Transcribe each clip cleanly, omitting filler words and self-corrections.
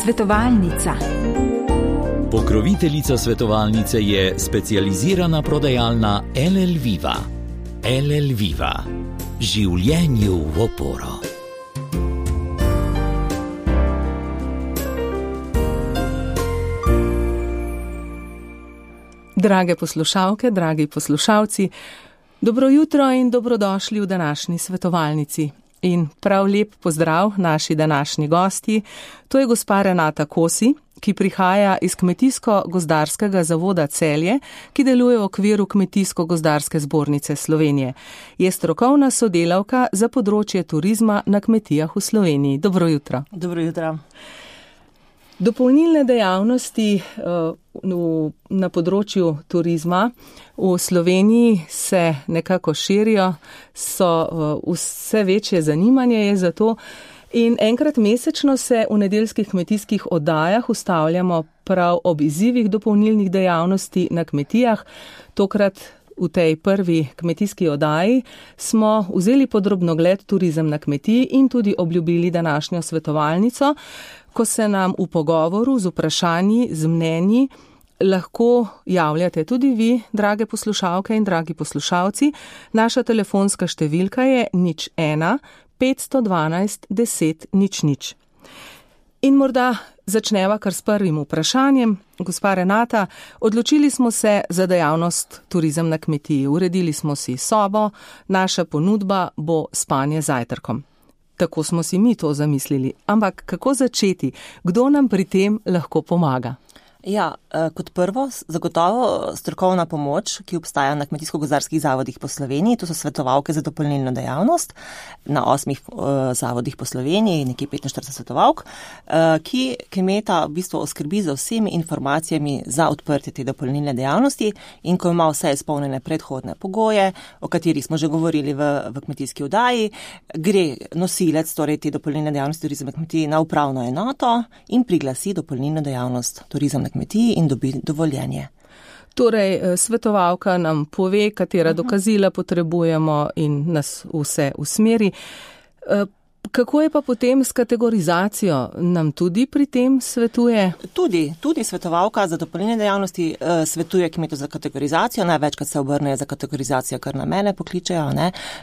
Svetovalnica. Pokroviteljica svetovalnice je specializirana prodajalna LL Viva. LL Viva. Življenju v oporo. Drage poslušalke, dragi poslušalci, dobro jutro in dobrodošli v današnji svetovalnici. In prav lep pozdrav naši današnji gosti, to je gospa Renata Kosi, ki prihaja iz Kmetijsko-gozdarskega zavoda Celje, ki deluje v okviru Kmetijsko-gozdarske zbornice Slovenije. Je strokovna sodelavka za področje turizma na kmetijah v Sloveniji. Dobro jutro. Dobro jutro. Dopolnilne dejavnosti na področju turizma v Sloveniji se nekako širijo, so vse večje zanimanje je za to in enkrat mesečno se v nedeljskih kmetijskih oddajah ustavljamo prav ob izzivih dopolnilnih dejavnosti na kmetijah. Tokrat v tej prvi kmetijski oddaji smo vzeli podrobnogled turizem na kmetiji in tudi obljubili današnjo svetovalnico, ko se nam v pogovoru z vprašanji, z mnenji lahko javljate tudi vi, drage poslušalke in dragi poslušalci. Naša telefonska številka je 01 512 10 00. In morda začneva kar s prvim vprašanjem. Gospa Renata, odločili smo se za dejavnost turizem na kmetiji. Uredili smo si sobo, naša ponudba bo spanje z zajtrkom. Tako smo si mi to zamislili. Ampak kako začeti? Kdo nam pri tem lahko pomaga? Ja, kot prvo, zagotovo strokovna pomoč, ki obstaja na kmetijsko-gozdarskih zavodih po Sloveniji, to so svetovalke za dopolnilno dejavnost na 8 zavodih po Sloveniji, nekje 45 svetovalk, ki kmeta v bistvu oskrbi za vsemi informacijami za odprtje te dopolnilne dejavnosti in ko ima vse izpolnjene predhodne pogoje, o katerih smo že govorili v kmetijski oddaji, gre nosilec, torej te dopolnilne dejavnosti turizem na kmetiji, na upravno enoto in priglasi dopolnilno dejavnost turizem na kmetiji in dobi dovoljenje. Torej, svetovalka nam pove, katera dokazila potrebujemo in nas vse usmeri. Kako je pa potem s kategorizacijo? Nam tudi pri tem svetuje? Tudi svetovalka za dopolnilne dejavnosti svetuje kmetu za kategorizacijo. Največkrat se obrnejo za kategorizacijo, kar na mene pokličejo,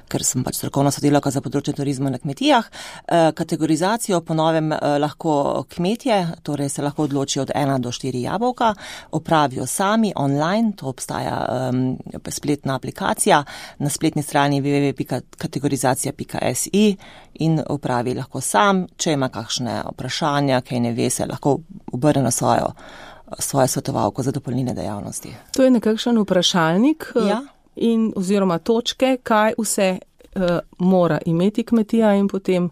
ker sem pač strokovna sodelavka za področje turizma na kmetijah. Kategorizacijo po novem lahko kmetje, torej se lahko odločijo od 1 do 4 jabolka, opravijo sami online, to obstaja spletna aplikacija na spletni strani www.kategorizacija.si in opravi lahko sam, če ima kakšne vprašanja, kaj ne ve, se lahko obrne na svojo svetovalko za dopolnilne dejavnosti. To je nekakšen vprašalnik oziroma točke, kaj vse mora imeti kmetija in potem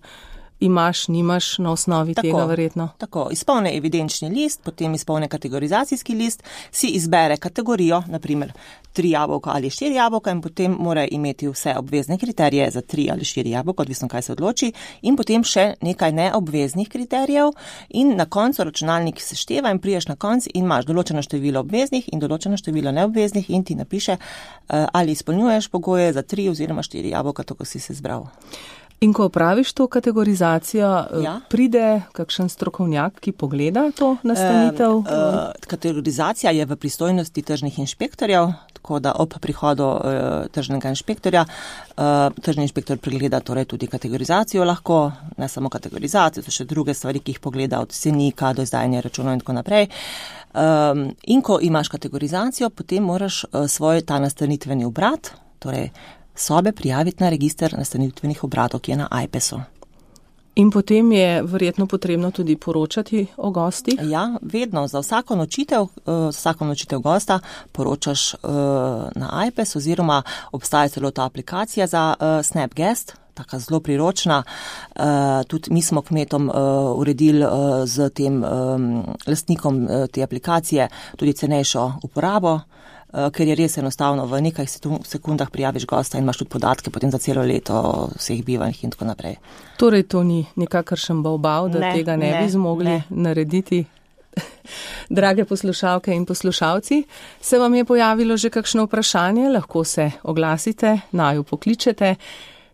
imaš, nimaš na osnovi tega verjetno. Tako, izpolne evidenčni list, potem izpolne kategorizacijski list, si izbere kategorijo, naprimer 3 jabolka ali 4 jabolka in potem mora imeti vse obvezne kriterije za 3 ali 4 jabolka, odvisno kaj se odloči, in potem še nekaj neobveznih kriterijev in na koncu računalnik sešteva in priješ na konc in imaš določeno število obveznih in določeno število neobveznih in ti napiše, ali izpolnjuješ pogoje za 3 oziroma 4 jabolka, tako si se izbral. In ko opraviš to kategorizacijo, pride kakšen strokovnjak, ki pogleda to nastanitev? Kategorizacija je v pristojnosti tržnih inšpektorjev, tako da ob prihodu tržnega inšpektorja, tržni inšpektor pregleda torej tudi kategorizacijo lahko, ne samo kategorizacijo, so še druge stvari, ki jih pogleda od cenika do izdajanja računov in tako naprej. In ko imaš kategorizacijo, potem moraš svoj ta nastanitveni obrat, torej sobe prijaviti na register nastanitvenih obratov, ki je na AJPES-u. In potem je verjetno potrebno tudi poročati o gostih? Ja, vedno. Za vsako nočitev gosta poročaš na AJPES oziroma obstaja celo ta aplikacija za SnapGuest, taka zelo priročna. Tudi mi smo kmetom uredili z tem lastnikom te aplikacije tudi cenejšo uporabo, ker je res enostavno, v nekaj sekundah prijaviš gosta in imaš tudi podatke potem za celo leto vseh bivanjih in tako naprej. Torej to ni nikakršen bavbav, da tega ne bi zmogli narediti. Drage poslušalke in poslušalci, se vam je pojavilo že kakšno vprašanje? Lahko se oglasite, naju pokličete.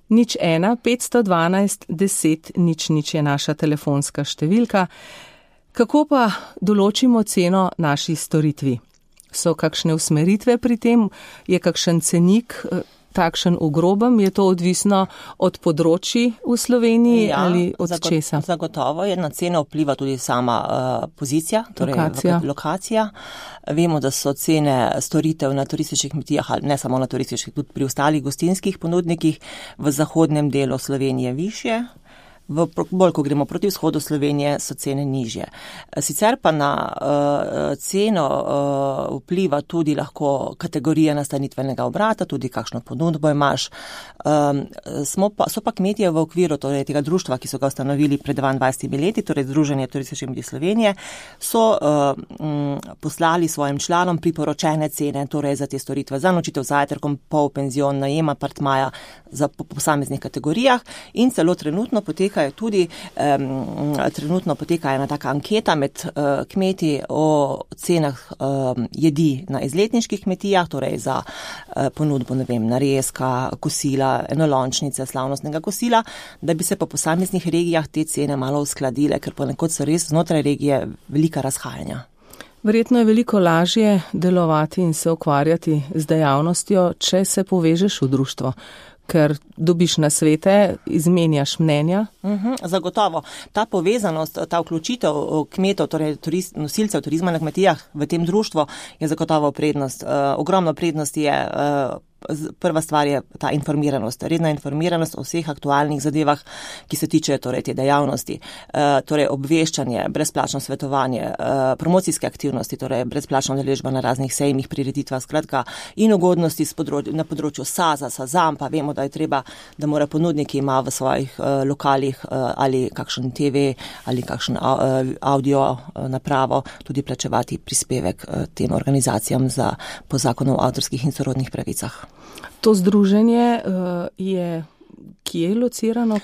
01 512 10 00 je naša telefonska številka. Kako pa določimo ceno naši storitvi? So kakšne usmeritve pri tem? Je kakšen cenik takšen v grobem? Je to odvisno od področji v Sloveniji ali od česa? Zagotovo je na ceno vpliva tudi sama pozicija, torej lokacija. Vemo, da so cene storitev na turističnih kmetijah, ne samo na turističnih, tudi pri ostalih gostinskih ponudnikih v zahodnem delu Slovenije višje. Bolj, ko gremo proti vzhodu Slovenije, so cene nižje. Sicer pa na ceno vpliva tudi lahko kategorija nastanitvenega obrata, tudi kakšno ponudbo imaš. So pa kmetije v okviru torej, tega društva, ki so ga ustanovili pred 22 leti, torej Združenje turističnih kmetij Slovenije, so poslali svojim članom priporočene cene, torej za te storitve, za nočitev z zajtrkom, polpenzion, najem apartmaja za posameznih kategorijah in celo trenutno poteka ena taka anketa med kmeti o cenah jedi na izletniških kmetijah, torej za ponudbo, narezka, kosila, enolončnice, slavnostnega kosila, da bi se po posameznih regijah te cene malo uskladile, ker ponekod so res znotraj regije velika razhajanja. Verjetno je veliko lažje delovati in se ukvarjati z dejavnostjo, če se povežeš v društvo, ker dobiš nasvete, izmenjaš mnenja. Zagotovo. Ta povezanost, ta vključitev kmetov, torej nosilcev turizma na kmetijah v tem društvu je zagotovo prednost. Ogromno prednosti je. Prva stvar je ta informiranost, redna informiranost o vseh aktualnih zadevah, ki se tiče torej te dejavnosti, torej obveščanje, brezplačno svetovanje, promocijske aktivnosti, torej brezplačna udeležba na raznih sejmih, prireditvah, skratka in ugodnosti na področju SAZA, SAZAM, pa vemo, da je treba, da mora ponudnik ima v svojih lokalih ali kakšen TV ali kakšen audio napravo tudi plačevati prispevek tem organizacijam po zakonu o avtorskih in sorodnih pravicah. To združenje je kje locirano?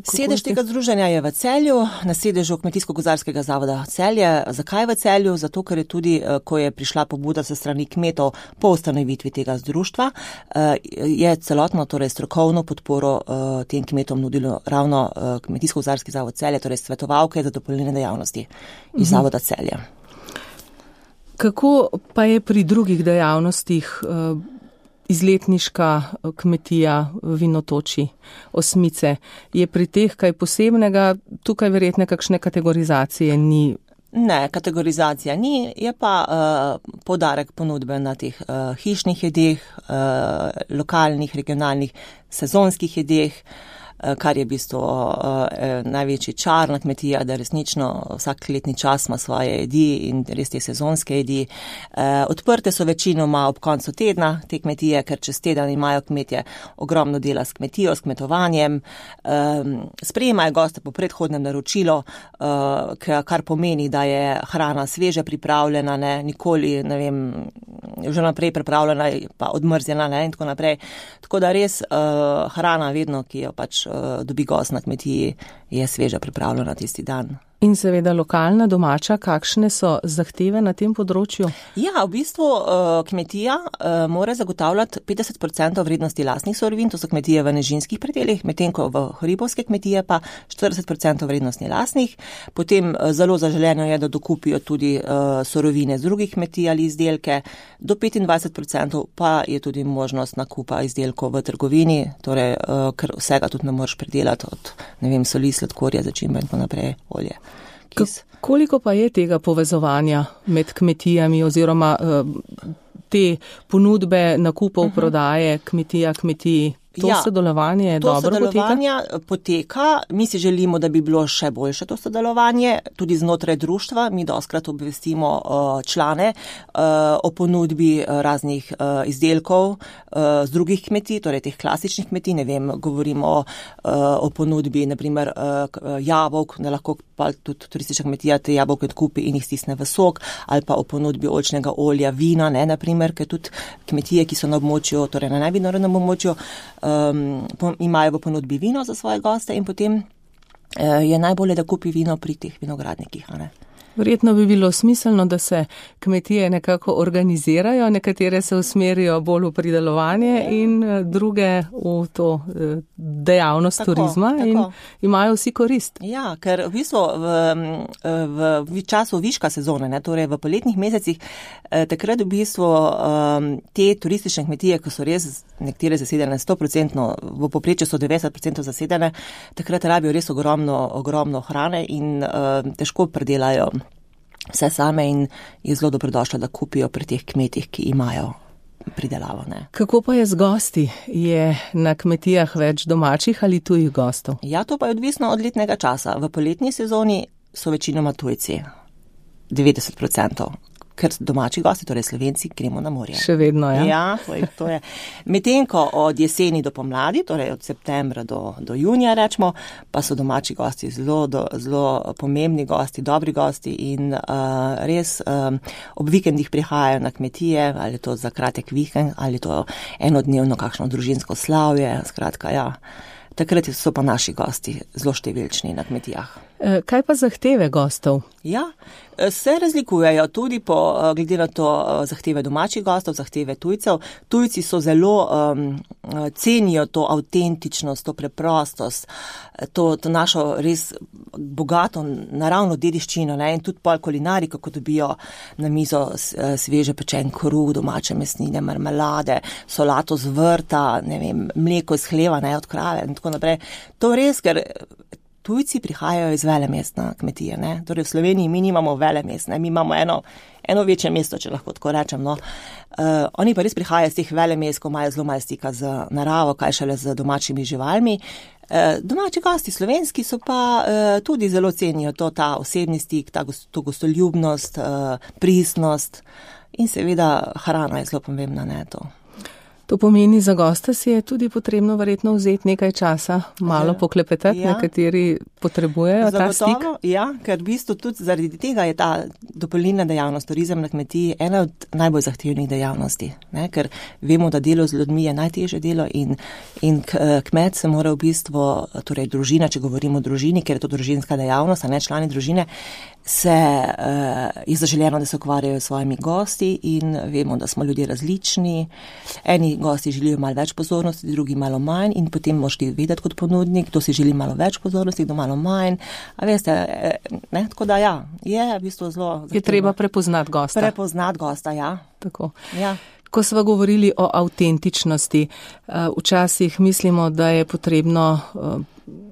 Sedež tega združenja je v Celju, na sedežu Kmetijsko-gozdarskega zavoda Celje. Zakaj v Celju? Zato, ker je tudi, ko je prišla pobuda se strani kmetov po ustanovitvi tega zdruštva, je celotno, torej strokovno podporo tem kmetom nudilo ravno Kmetijsko-gozdarski zavod Celje, torej svetovalke za dopolnilne dejavnosti iz zavoda Celje. Kako pa je pri drugih dejavnostih izletniška kmetija Vinotoči, Osmice? Je pri teh kaj posebnega? Tukaj verjetno kakšne kategorizacije ni? Ne, kategorizacija ni, je pa poudarek ponudbe na teh hišnih jedeh, lokalnih, regionalnih, sezonskih jedeh, kar je v bistvu največji čar na kmetija, da resnično vsak letni čas ima svoje jedi in res te sezonske jedi. Odprte so večinoma ob koncu tedna te kmetije, ker čez teden imajo kmetje ogromno dela s kmetijo, s kmetovanjem. Sprejemajo goste po predhodnem naročilu, kar pomeni, da je hrana sveže pripravljena, nikoli, že naprej pripravljena, pa odmrzjena, in tako naprej. Tako da res hrana vedno, ki jo pač dobi gost na kmetiji, je sveža pripravljena tisti dan. In seveda lokalna, domača, kakšne so zahteve na tem področju? Ja, v bistvu kmetija mora zagotavljati 50% vrednosti lastnih surovin, to so kmetije v nižinskih predelih, medtem ko v hribovske kmetije pa 40% vrednosti lastnih. Potem zelo zaželeno je, da dokupijo tudi surovine z drugih kmetij ali izdelke. Do 25% pa je tudi možnost nakupa izdelkov v trgovini, torej ker vsega tudi ne moreš predelati od, soli, sladkorja, začimbe in tako naprej, olje. Koliko pa je tega povezovanja med kmetijami oziroma te ponudbe nakupov, prodaje, kmetija, kmetiji? To sodelovanje dobro poteka? To sodelovanje poteka. Mi si želimo, da bi bilo še boljše to sodelovanje. Tudi znotraj društva mi dostkrat obvestimo člane o ponudbi raznih izdelkov z drugih kmetij, torej teh klasičnih kmetij. Govorimo o ponudbi, naprimer jabolk, da lahko pa tudi turistična kmetija te jabolke odkupi in jih stisne v sok, ali pa o ponudbi oljčnega olja, vina, naprimer, ker tudi kmetije, ki so na območju, torej na najvinorodnem območju, imajo v ponudbi vino za svoje goste in potem je najbolje, da kupi vino pri teh vinogradnikih. Verjetno bi bilo smiselno, da se kmetije nekako organizirajo, nekatere se usmerijo bolj v pridelovanje in druge v to dejavnost turizma in imajo vsi korist. Ja, ker v bistvu v času viška sezone, ne, torej v poletnih mesecih, takrat v bistvu te turistične kmetije, ko so res nekatere zasedene 100%, v povprečju so 90% zasedene, takrat rabijo res ogromno hrane in težko predelajo vse same in je zelo dobrodošlo, da kupijo pri teh kmetih, ki imajo pridelavo. Ne. Kako pa je z gosti? Je na kmetijah več domačih ali tujih gostov? Ja, to pa je odvisno od letnega časa. V poletni sezoni so večinoma tujci, 90%. Ker domači gosti, torej Slovenci, gremo na morje. Še vedno, ja. Ja, to je. Medtem ko od jeseni do pomladi, torej od septembra do junija, rečemo, pa so domači gosti zelo pomembni gosti, dobri gosti in res ob vikendih prihajajo na kmetije, ali to za kratek vikend, ali to enodnevno kakšno družinsko slavje, skratka, ja. Takrat so pa naši gosti zelo številčni na kmetijah. Kaj pa zahteve gostov? Ja, se razlikujejo tudi glede na to zahteve domačih gostov, zahteve tujcev. Tujci so zelo cenijo to avtentičnost, to preprostost, to našo res bogato naravno dediščino, ne? In tudi pol kulinariko, ko dobijo na mizo sveže pečen kruh, domače mesnine, marmelade, solato z vrta, ne vem, mleko iz hleva, ne, od krave in tako naprej. To res, ker tujci prihajajo iz velemest na kmetije, ne. Torej v Sloveniji mi nimamo velemest, ne. Mi imamo eno večje mesto, če lahko tako rečem, no. Oni pa res prihajajo iz teh velemest, ko imajo zelo malo stika z naravo, kaj šele z domačimi živalmi. Domači gosti slovenski so pa tudi zelo cenijo ta osebni stik, to gostoljubnost, pristnost in seveda hrana je zelo pomembna, ne, to. To pomeni, za gosta si je tudi potrebno verjetno vzeti nekaj časa, malo poklepetati, ja. Nekateri potrebujejo ta stik. Ja, ker v bistvu tudi zaradi tega je ta dopolnilna dejavnost, turizem na kmetiji, ena od najbolj zahtevnih dejavnosti, ne? Ker vemo, da delo z ljudmi je najtežje delo in kmet se mora v bistvu, torej družina, če govorimo o družini, ker je to družinska dejavnost, a ne člani družine, je zaželjeno, da se ukvarjajo s svojimi gosti in vemo, da smo ljudje različni. Eni gosti želijo malo več pozornosti, drugi malo manj in potem moraš ti vedeti kot ponudnik, kdo si želi malo več pozornosti, kdo malo manj. A veste, ne, tako da ja, je v bistvu zelo zahtevno. Je treba prepoznati gosta. Prepoznati gosta, ja. Tako. Ja. Ko sva govorili o avtentičnosti, včasih mislimo, da je potrebno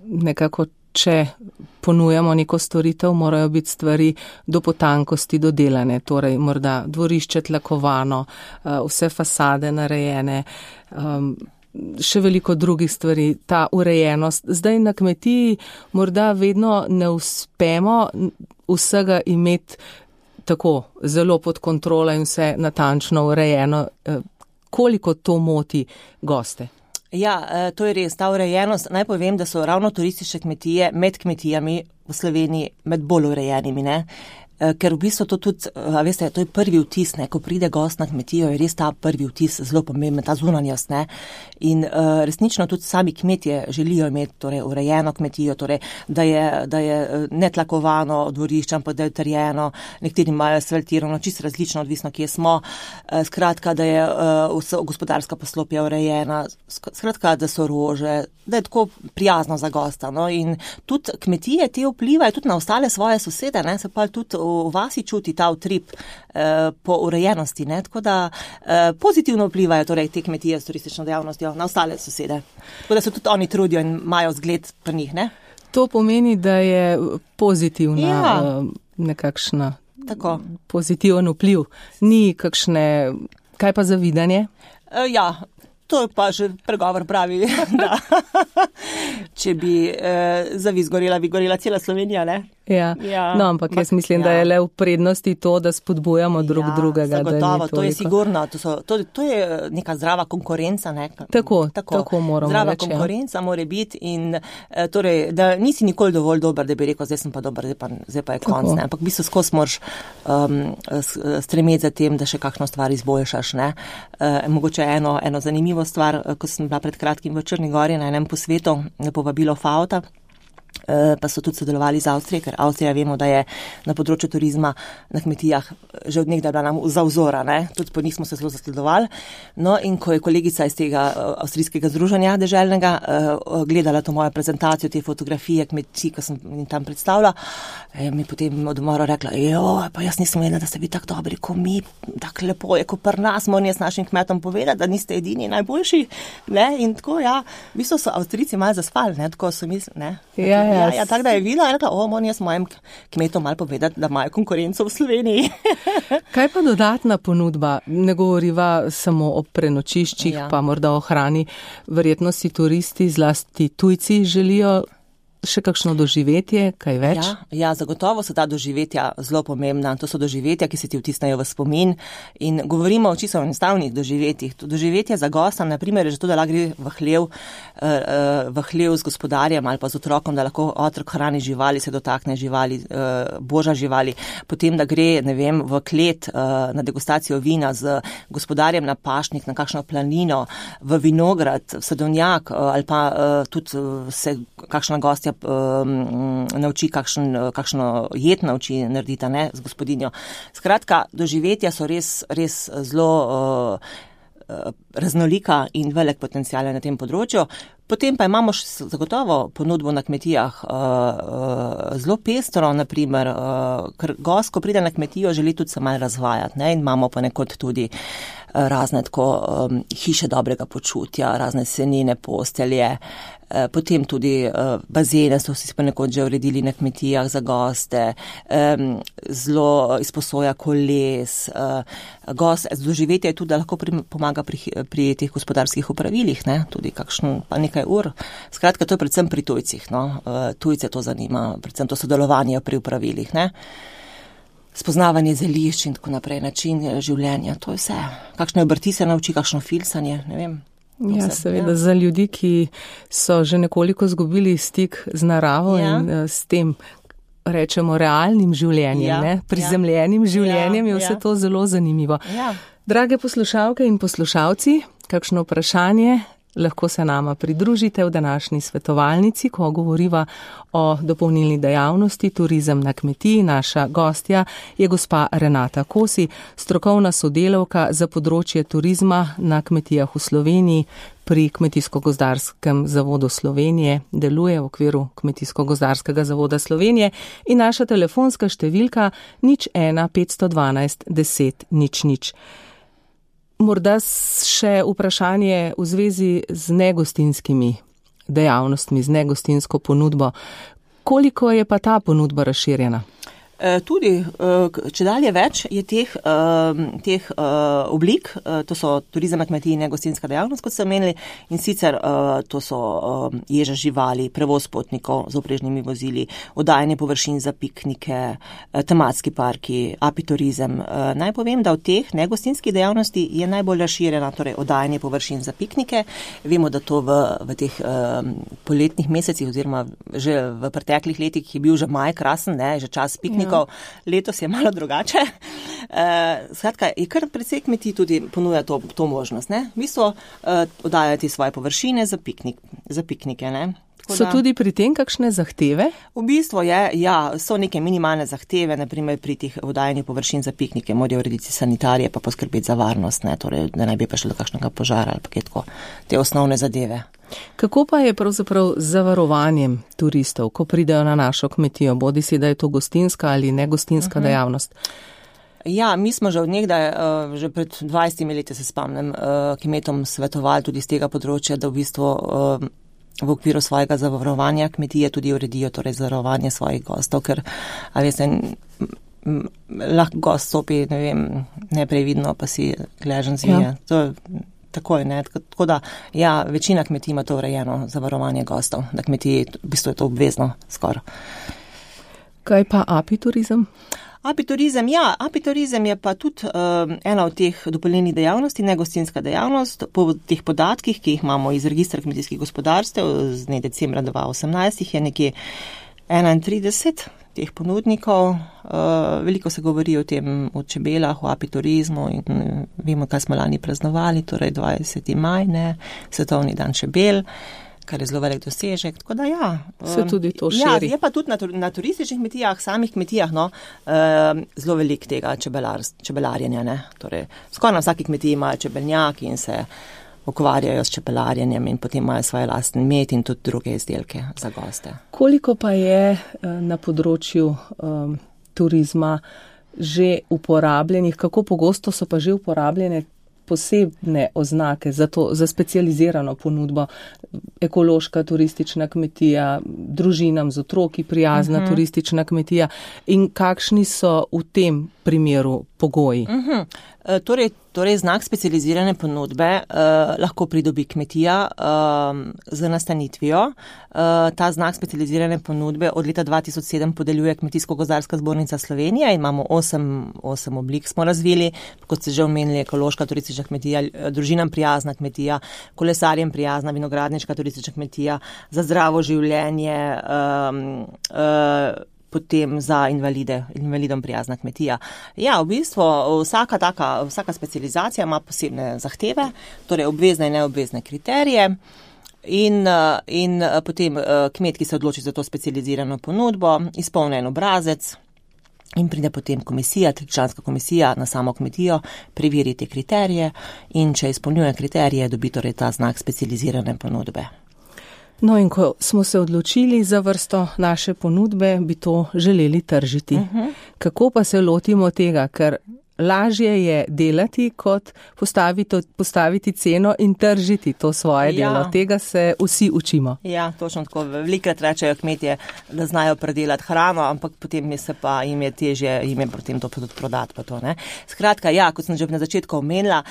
nekako, če ponujamo neko storitev, morajo biti stvari do potankosti dodelane, torej morda dvorišče tlakovano, vse fasade narejene, še veliko drugih stvari, ta urejenost. Zdaj na kmetiji morda vedno ne uspemo vsega imeti tako zelo pod kontrolo in vse natančno urejeno. Koliko to moti goste? Ja, to je res, ta urejenost. Naj povem, da so ravno turistične kmetije med kmetijami v Sloveniji med bolj urejenimi, ne. Ker v bistvu to tudi, veste, to je prvi vtis, ne, ko pride gost na kmetijo, je res ta prvi vtis zelo pomemben, ta zunanjost, ne. In resnično tudi sami kmetje želijo imeti torej urejeno kmetijo, torej da je netlakovano dvorišče, ampak da je utrjeno, nekateri imajo asfaltirano, čisto različno, odvisno kje smo, skratka, da je gospodarska poslopja urejena, skratka, da so rože, da je tako prijazno za gosta, no. In tudi kmetije te vplivajo tudi na ostale svoje sosede, ne, se pa tudi v vasi čuti ta utrip po urejenosti, ne, tako da pozitivno vplivajo torej te kmetije s turistično dejavnostjo na ostale sosede. Tako da se tudi oni trudijo in imajo zgled pri njih, ne. To pomeni, da je pozitivna nekakšna pozitiven vpliv. Ni kakšne, kaj pa zavidanje? Ja, to je pa že pregovor pravi, da če bi zavis gorela, bi gorela cela Slovenija, ne? Ja. No, ampak jaz mislim, da je le v prednosti to, da spodbujamo drug drugega. Zagotovo, to je sigurno, to je neka zdrava konkurenca, ne? Tako moramo zdrava reči. Konkurenca mora biti in torej, da nisi nikoli dovolj dober, da bi rekel, zdaj sem pa dober, zdaj pa je konc, ne? Ampak v bistvu skozi moraš stremeti za tem, da še kakšno stvar izboljšaš, ne? Mogoče eno zanimivo stvar, ko sem bila pred kratkim v Črni Gori na enem posvetu, povabilo FAO-ta, pa so tudi sodelovali z Avstrijo, ker Avstrija vemo, da je na področju turizma na kmetijah že od nekdaj bila nam za vzora, ne? Tudi po njih smo se zelo zasledovali. No, in ko je kolegica iz tega avstrijskega združenja deželnega gledala to mojo prezentacijo, te fotografije kmetij, ki sem jim tam predstavila, mi potem od umora rekla, pa jaz nisem vedela, da ste vi tako dobri, ko mi, tako lepo je, ko pri nas, moram jaz našim kmetom povedati, da niste edini najboljši, ne? In tako, v bistvu so Avstrijci malo zaspali, ne? Tako so mislili, ne? Ja, tako da je videla, rekla, moram jaz mojim kmetom malo povedati, da imajo konkurenco v Sloveniji. Kaj pa dodatna ponudba? Ne govoriva samo o prenočiščih, pa morda o hrani. Verjetno si turisti, zlasti tujci, želijo še kakšno doživetje, kaj več? Ja, zagotovo so ta doživetja zelo pomembna. To so doživetja, ki se ti vtisnajo v spomin in govorimo o čisto enostavnih doživetjih. Doživetje za gosta, na primer, je že to, da lahko gre v hlev z gospodarjem ali pa z otrokom, da lahko otrok hrani živali, se dotakne živali, boža živali, potem, da gre, ne vem, v klet na degustacijo vina z gospodarjem na pašnik, na kakšno planino, v vinograd, v sadovnjak ali pa tudi se kakšna gostja nauči kakšno jed nauči narediti, ne, z gospodinjo. Skratka, doživetja so res zelo raznolika in velik potencial na tem področju. Potem pa imamo še zagotovo ponudbo na kmetijah zelo pestro, naprimer, ker gost, ko pride na kmetijo, želi tudi se malo razvajati, ne, in imamo pa nekod tudi razne tako hiše dobrega počutja, razne senine postelje, potem tudi bazene so si pa nekod že uredili na kmetijah za goste, zelo izposoja koles, doživetje je tudi, da lahko pomaga pri teh gospodarskih opravilih, ne, tudi kakšen pa nekaj ur. Skratka, to je predvsem pri tujcih, no, tujce to zanima, predvsem to sodelovanje pri opravilih, ne. Spoznavanje zelišč in tako naprej, način življenja, to je vse. Kakšne obrti se nauči, kakšno filsanje, ne vem. Ja, seveda, za ljudi, ki so že nekoliko izgubili stik z naravo in s tem, rečemo, realnim življenjem, ne, prizemljenim življenjem, je vse to zelo zanimivo. Drage poslušalke in poslušalci, kakšno vprašanje, lahko se nama pridružite v današnji svetovalnici, ko govoriva o dopolnilni dejavnosti Turizem na kmetiji. Naša gostja je gospa Renata Kosi, strokovna sodelavka za področje turizma na kmetijah v Sloveniji pri Kmetijsko-gozdarskem zavodu Slovenije, deluje v okviru Kmetijsko-gozdarskega zavoda Slovenije in naša telefonska številka 01 512 10 00. Morda še vprašanje v zvezi z negostinskimi dejavnostmi, z negostinsko ponudbo. Koliko je pa ta ponudba razširjena? Tudi, če dalje več je teh oblik, to so turizem na kmetiji in negostinska dejavnost, kot ste omenili, in sicer to so ježa živali, prevoz potnikov z oprežnimi vozili, oddajanje površin za piknike, tematski parki, apiturizem. Naj povem, da v teh negostinskih dejavnosti je najbolj razširjena, torej oddajanje površin za piknike. Vemo, da to v teh poletnih mesecih oziroma že v preteklih letih je bil že maj krasen, ne, že čas piknikov. Letos je malo drugače. Skratka, je kar precej kmetij tudi ponuja to možnost, ne? V bistvu oddajati svoje površine za piknike, ne? So tudi pri tem kakšne zahteve? V bistvu so neke minimalne zahteve, naprimer pri teh oddajanju površin za piknike, morajo urediti sanitarije pa poskrbeti za varnost, ne, torej, da ne bi prišlo do kakšnega požara ali pa kaj tako, te osnovne zadeve. Kako pa je pravzaprav z zavarovanjem turistov, ko pridejo na našo kmetijo, bodisi da je to gostinska ali negostinska dejavnost? Ja, mi smo že od nekdaj, že pred 20 leti se spomnim, kmetom svetovali tudi z tega področja, da v bistvu v okviru svojega zavarovanja kmetije tudi uredijo torej zavarovanje svojih gostov, ker, a veste, lahko gost stopi, ne vem, neprevidno, pa si gležen zvije. To tako je, ne, tako da, večina kmetij ima to urejeno zavarovanje gostov, na kmetiji v bistvu je to obvezno skoraj. Kaj pa apiturizem? Apiturizem je pa tudi ena od teh dopolnilnih dejavnosti, negostinska dejavnost. Po teh podatkih, ki jih imamo iz registra kmetijskih gospodarstev, z dne decembra 2018 je nekje 31 teh ponudnikov. Veliko se govori o tem, o čebelah, o apiturizmu in vemo, kaj smo lani praznovali, torej 20. maj, ne, svetovni dan čebel. kar je zelo velik dosežek. Tako da ja. Se tudi to širi. Ja, je pa tudi na turističnih kmetijah, samih kmetijah, zelo velik tega čebelarjenja, ne. Torej, skoraj na vsaki kmetiji imajo čebelnjaki in se ukvarjajo s čebelarjenjem in potem imajo svoje lastne med in tudi druge izdelke za goste. Koliko pa je na področju turizma že uporabljenih, kako pogosto so pa že uporabljene posebne oznake za specializirano ponudbo, ekološka turistična kmetija, družinam z otroki prijazna turistična kmetija in kakšni so v tem primeru pogoji? Torej znak specializirane ponudbe lahko pridobi kmetija z nastanitvijo. Ta znak specializirane ponudbe od leta 2007 podeljuje Kmetijsko-gozdarska zbornica Slovenije in imamo 8 oblik smo razvili, kot ste že omenili, ekološka turistična kmetija, družinam prijazna kmetija, kolesarjem prijazna vinogradniška turistična kmetija, za zdravo življenje, potem za invalidom prijazna kmetija. Ja, v bistvu vsaka specializacija ima posebne zahteve, torej obvezne in neobvezne kriterije in potem kmet, ki se odloči za to specializirano ponudbo, izpolni en obrazec in pride potem komisija, tričlanska komisija na samo kmetijo, preveri te kriterije in če izpolnjuje kriterije, dobi torej ta znak specializirane ponudbe. No in ko smo se odločili za vrsto naše ponudbe, bi to želeli tržiti. Kako pa se lotimo tega, ker lažje je delati, kot postaviti ceno in tržiti to svoje delo. Tega se vsi učimo. Ja, točno tako. Velikrat rečejo kmetje, da znajo predelati hrano, ampak potem jim je težje, jim je potem to prodati pa to, ne. Skratka, ja, kot sem že na začetku omenila,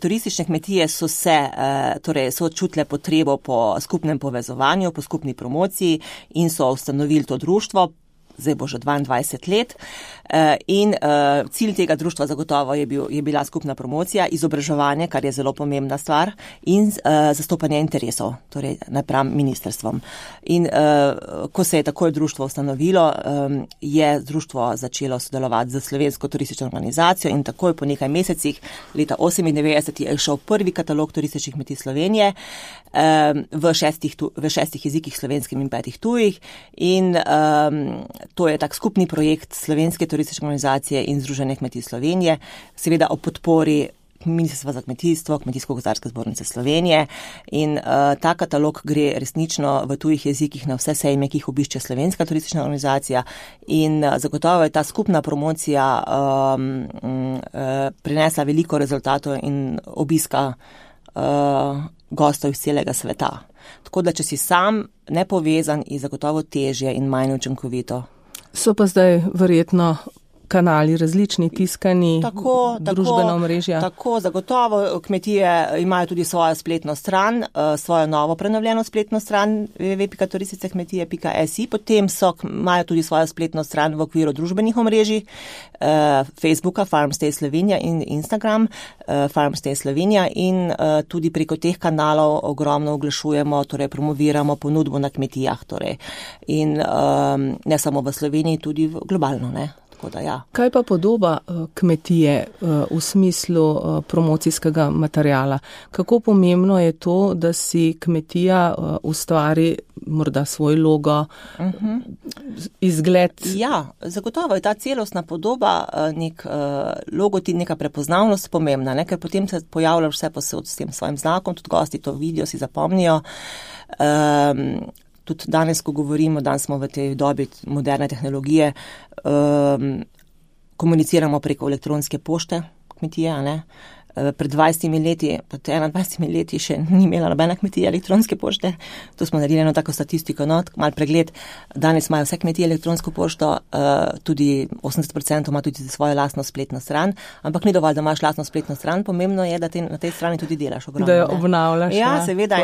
turistične kmetije so čutile potrebo po skupnem povezovanju, po skupni promociji in so ustanovili to društvo. Zdaj bo že 22 let in cilj tega društva zagotovo je bila skupna promocija, izobraževanje, kar je zelo pomembna stvar, in zastopanje interesov, torej napram ministrstvom. In ko se je takoj društvo ustanovilo, je društvo začelo sodelovati z Slovensko turistično organizacijo in takoj po nekaj mesecih, leta 1998, je šel prvi katalog turističnih kmetij Slovenije v 6 jezikih, slovenskim in 5 tujih, in to je tak skupni projekt Slovenske turistične organizacije in Združenja kmetij Slovenije, seveda o podpori Ministrstva za kmetijstvo, Kmetijsko-gozdarske zbornice Slovenije, in ta katalog gre resnično v tujih jezikih na vse sejme, ki jih obišče Slovenska turistična organizacija, in zagotovo je ta skupna promocija prinesla veliko rezultatov in obiska gostov iz celega sveta. Tako da, če si sam nepovezan, je zagotovo težje in manj učinkovito. So pa zdaj verjetno kanali različni, tiskani, družbena omrežja. Tako, zagotovo kmetije imajo tudi svojo spletno stran, svojo novo prenovljeno spletno stran www.turisticekmetije.si, potem imajo tudi svojo spletno stran v okviru družbenih omrežij, Facebooka Farmstay Slovenija in Instagram Farmstay Slovenija, in tudi preko teh kanalov ogromno oglašujemo, torej promoviramo ponudbo na kmetijah, torej, in ne samo v Sloveniji, tudi globalno, ne. Ja. Kaj pa podoba kmetije v smislu promocijskega materiala? Kako pomembno je to, da si kmetija ustvari morda svoj logo, izgled? Ja, zagotovo je ta celostna podoba, nek logotip, neka prepoznavnost pomembna, ne? Ker potem se pojavlja vse posod s tem svojim znakom, tudi gosti to vidijo, si zapomnijo. Tudi danes, ko govorimo, danes smo v tej dobi moderne tehnologije, komuniciramo preko elektronske pošte kmetije, ne. Pred 20 leti, pred 21 leti še ni imela nobena kmetija elektronske pošte. To smo naredili eno tako statistiko, mal pregled. Danes imajo vse kmetije elektronsko pošto, tudi 80% ima tudi svojo lastno spletno stran, ampak ni dovolj, da imaš lastno spletno stran, pomembno je, da na tej strani tudi delaš ogromno. Da jo obnavljaš. Ja, seveda,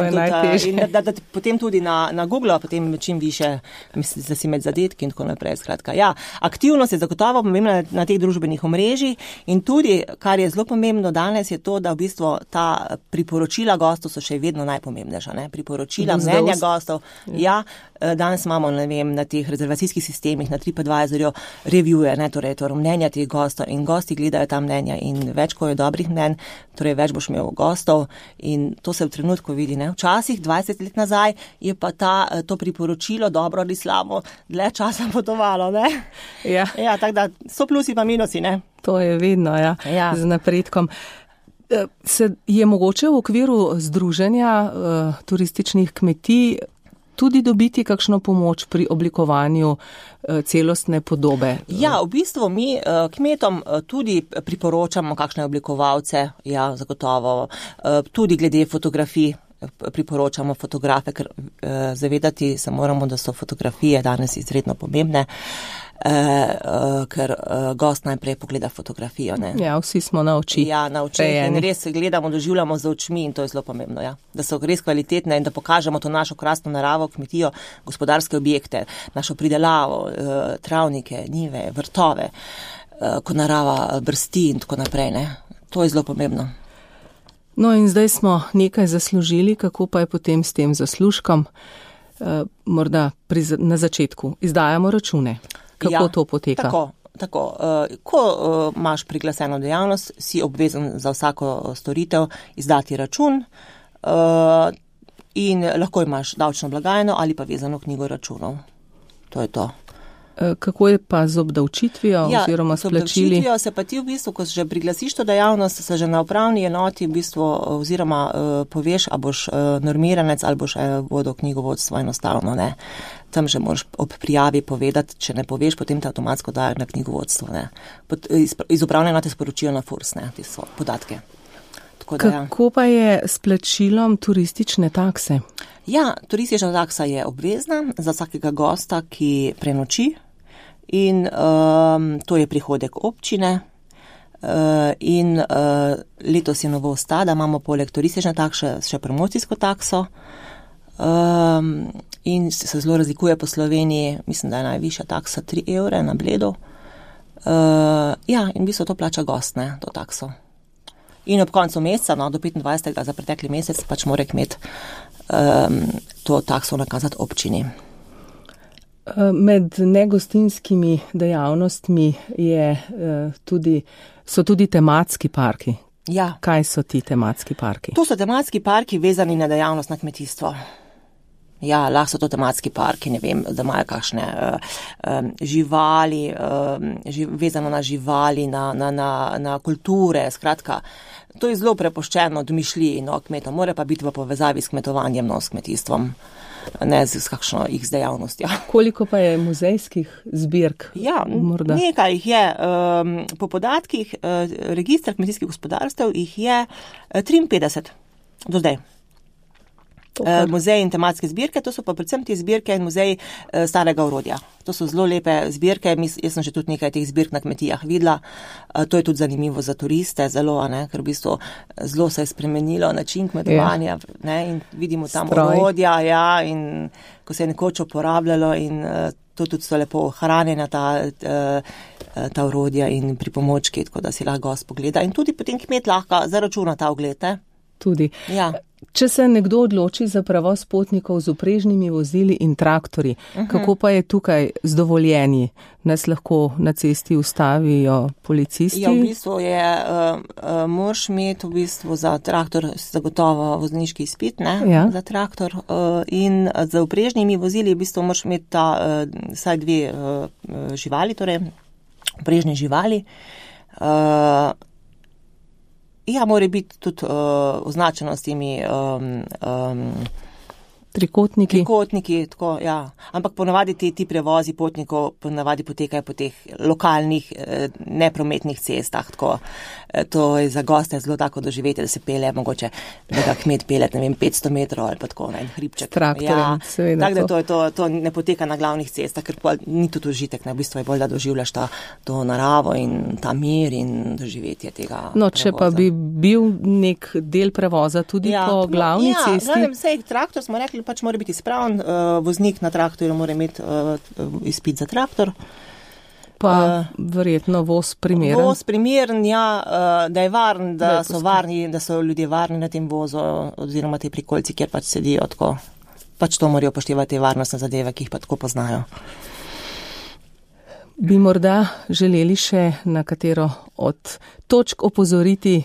in da potem tudi na Google, potem čim više, mislim, da si med zadetki in tako naprej. Skratka, ja, aktivnost je zagotovo pomembna na teh družbenih omrežjih in tudi, kar je zelo pomembno danes, danes je to, da v bistvu ta priporočila gostov so še vedno najpomembnejša, ne? Priporočila, mnenja gostov. Ja, danes imamo, ne vem, na teh rezervacijskih sistemih, na TripAdvisorju reviewe, ne, torej mnenja teh gostov in gosti gledajo ta mnenja in več, ko je dobrih mnenj, torej več boš imel gostov in to se v trenutku vidi, ne. Včasih, 20 let nazaj, je pa to priporočilo dobro ali slabo dlje časa potovalo, ne. Ja. Ja, tako da so plusi pa minusi, ne. To je vedno, ja. Z napredkom. Je mogoče v okviru združenja turističnih kmetij tudi dobiti kakšno pomoč pri oblikovanju celostne podobe? Ja, v bistvu mi kmetom tudi priporočamo kakšne oblikovalce, ja, zagotovo, tudi glede fotografij priporočamo fotografe, ker zavedati se moramo, da so fotografije danes izredno pomembne, ker gost najprej pogleda fotografijo. Ne? Ja, vsi smo na oči. Ja, na oči in res gledamo, doživljamo za očmi in to je zelo pomembno, ja. Da so res kvalitetne in da pokažemo to našo krasno naravo, kmetijo, gospodarske objekte, našo pridelavo, travnike, njive, vrtove, ko narava brsti in tako naprej, ne. To je zelo pomembno. No in zdaj smo nekaj zaslužili, kako pa je potem s tem zaslužkom? Morda na začetku izdajamo račune. Kako to poteka? Tako. Ko imaš priglaseno dejavnost, si obvezen za vsako storitev izdati račun in lahko imaš davčno blagajno ali pa vezano knjigo računov. To je to. Kako je pa z obdavčitvijo oziroma s plačili? Z obdavčitvijo se pa ti v bistvu, ko že priglasiš to dejavnost, se že na upravni enoti v bistvu oziroma poveš, a boš normiranec ali boš vodil knjigovodstvo enostavno, ne. Tam že moraš ob prijavi povedati, če ne poveš, potem te avtomatsko dajo na knjigovodstvo, ne. Iz upravne enote sporočijo na FURS, ne, te so podatke. Kako pa je s plačilom turistične takse? Ja, turistična taksa je obvezna za vsakega gosta, ki prenoči in to je prihodek občine in letos je novost ta, da imamo poleg turistične takse še promocijsko takso in se zelo razlikuje po Sloveniji, mislim, da je najvišja taksa 3 evre na Bledu. Ja, in v bistvu to plača gost, ne, to takso. In ob koncu meseca, no, do 25. za pretekli mesec, pač mora kmet to takso nakazati občini. Med negostinskimi dejavnostmi so tudi tematski parki. Ja. Kaj so ti tematski parki? To so tematski parki vezani na dejavnost na kmetijstvo. Ja, lahko so to tematski parki, ne vem, da imajo kakšne živali, vezano na živali, na kulture, skratka. To je zelo prepuščeno domišljiji, no, kmetom, mora pa biti v povezavi s kmetovanjem, no, s kmetijstvom, ne s kakšno X dejavnostjo. Koliko pa je muzejskih zbirk? Ja, morda? Nekaj jih je. Po podatkih registra kmetijskih gospodarstev jih je 53 do zdaj. Muzeji in tematske zbirke, to so pa predvsem te zbirke in muzeji starega orodja. To so zelo lepe zbirke, jaz sem že tudi nekaj teh zbirk na kmetijah videla. To je tudi zanimivo za turiste, zelo, ne, ker v bistvu zelo se je spremenilo način kmetovanja, ne, in vidimo tam orodja, ja, in ko se je nekoč uporabljalo in to tudi so lepo ohranjena ta orodja in pripomočki, tako da si lahko gost pogleda in tudi potem kmet lahko zaračuna ta ogled, ne. Tudi. Ja. Če se nekdo odloči za prevoz potnikov z vprežnimi vozili in traktorji, kako pa je tukaj z dovoljenji? Nas lahko na cesti ustavijo policisti? Ja, v bistvu moraš imeti v bistvu za traktor zagotovo vozniški izpit, ne, ja, za traktor in za vprežnimi vozili v bistvu moraš imeti vsaj 2 živali, torej vprežne živali. Ja, mora biti tudi označeno s temi trikotniki, tako, ja. Ampak ponavadi ti prevozi potnikov ponavadi potekajo po teh lokalnih neprometnih cestah, tako. To je za goste zelo tako doživeti, da se pelje mogoče, da ga kmet pelje, ne vem, 500 metrov ali pa tako, en hribček. Traktorjem, seveda. Tako da to ne poteka na glavnih cestah, ker pa ni tudi užitek, ne, v bistvu je bolj, da doživljaš to naravo in ta mir in doživetje tega No, če prevoza. Pa bi bil nek del prevoza tudi po glavni cesti. Ja, vsej traktor smo rekli, pač mora biti spravn, voznik na traktorju mora imeti izpit za traktor. Pa verjetno voz primeren. Voz primeren, ja, da je varen, da so varni, da so ljudje varni na tem vozu oziroma te prikolici, kjer pač sedijo tako. Pač to morajo upoštevati te varnostne zadeve, ki jih pa tako poznajo. Bi morda želeli še na katero od točk opozoriti,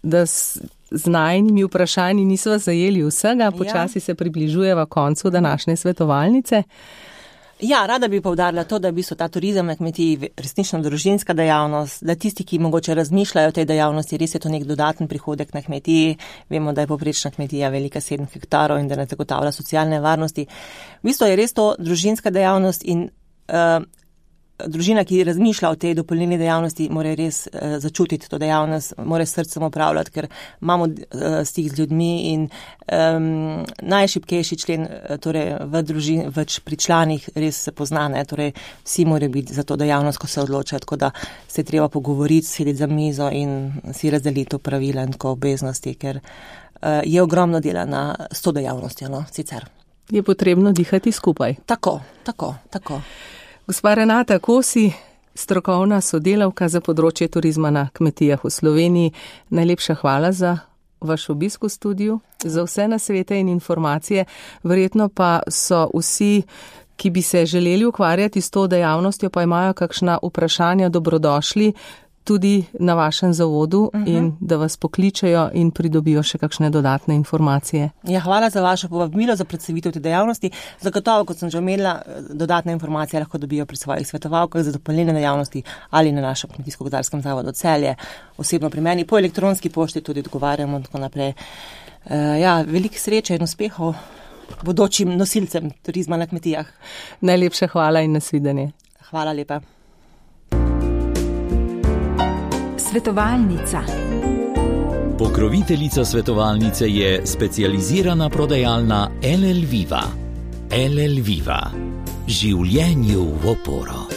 da z najnimi vprašanji nisva zajeli vsega, počasi se približujeva koncu današnje svetovalnice. Ja, rada bi poudarila to, da je v bistvu ta turizem na kmetiji resnično družinska dejavnost, da tisti, ki mogoče razmišljajo o tej dejavnosti, res je to nek dodaten prihodek na kmetiji. Vemo, da je povprečna kmetija velika 7 hektarov in da ne zagotavlja socialne varnosti. V bistvu je res to družinska dejavnost in družina, ki razmišlja o tej dopolnilni dejavnosti, mora res začutiti to dejavnost, mora s srcem opravljati, ker imamo stik z ljudmi in najšibkejši člen torej v družini, pri članih res se pozna, ne, torej vsi morajo biti za to dejavnost, ko se odločajo, tako da se je treba pogovoriti, sedeti za mizo in si razdeliti to pravila in tako obveznosti, ker je ogromno dela s to dejavnostjo, no, sicer. Je potrebno dihati skupaj. Tako. Gospa Renata Kosi, strokovna sodelavka za področje turizma na kmetijah v Sloveniji, najlepša hvala za vaš obisk v studiu, za vse nasvete in informacije. Verjetno pa so vsi, ki bi se želeli ukvarjati s to dejavnostjo, pa imajo kakšna vprašanja, dobrodošli tudi na vašem zavodu in da vas pokličejo in pridobijo še kakšne dodatne informacije. Ja, hvala za vašo povabilo, za predstavitev te dejavnosti. Zagotovo, kot sem že omenila, dodatne informacije lahko dobijo pri svojih svetovalkah za dopolnilne dejavnosti ali na našem Kmetijsko-gozdarskem zavodu Celje, osebno pri meni, po elektronski pošti tudi odgovarjamo in tako naprej. Ja, veliko sreče in uspehov bodočim nosilcem turizma na kmetijah. Najlepša hvala in nasvidenje. Hvala lepa. Svetovalnica. Pokroviteljica svetovalnice je specializirana prodajalna LL Viva. LL Viva. Življenju v oporo.